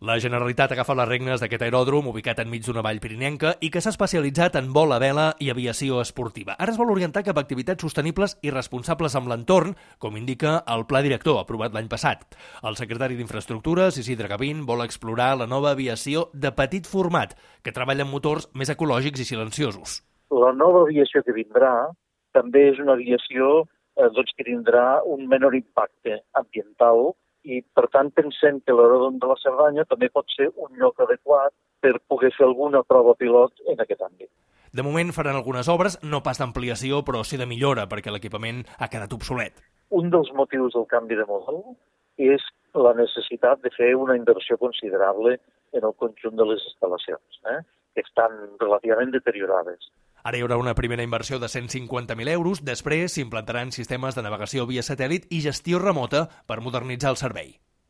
La Generalitat agafa les regnes d'aquest aeròdrom ubicat enmig d'una vall pirinenca i que s'ha especialitzat en vol a vela i aviació esportiva. Ara es vol orientar cap a activitats sostenibles i responsables amb l'entorn, com indica el Pla Director aprovat l'any passat. El secretari d'Infraestructures, Isidre Gavín, vol explorar la nova aviació de petit format, que treballa amb motors més ecològics i silenciosos. La nova aviació que vindrà també és una aviació que tindrà un menor impacte ambiental i, per tant, pensem que l'aeròdrom de la Cerdanya també pot ser un lloc adequat per poder fer alguna prova pilot en aquest àmbit. De moment faran algunes obres, no pas d'ampliació, però sí de millora, perquè l'equipament ha quedat obsolet. Un dels motius del canvi de model és la necessitat de fer una inversió considerable en el conjunt de les instal·lacions, que estan relativament deteriorades. Ara hi haurà una primera inversió de 150.000 euros, després s'implantaran sistemes de navegació via satèl·lit i gestió remota per modernitzar el servei.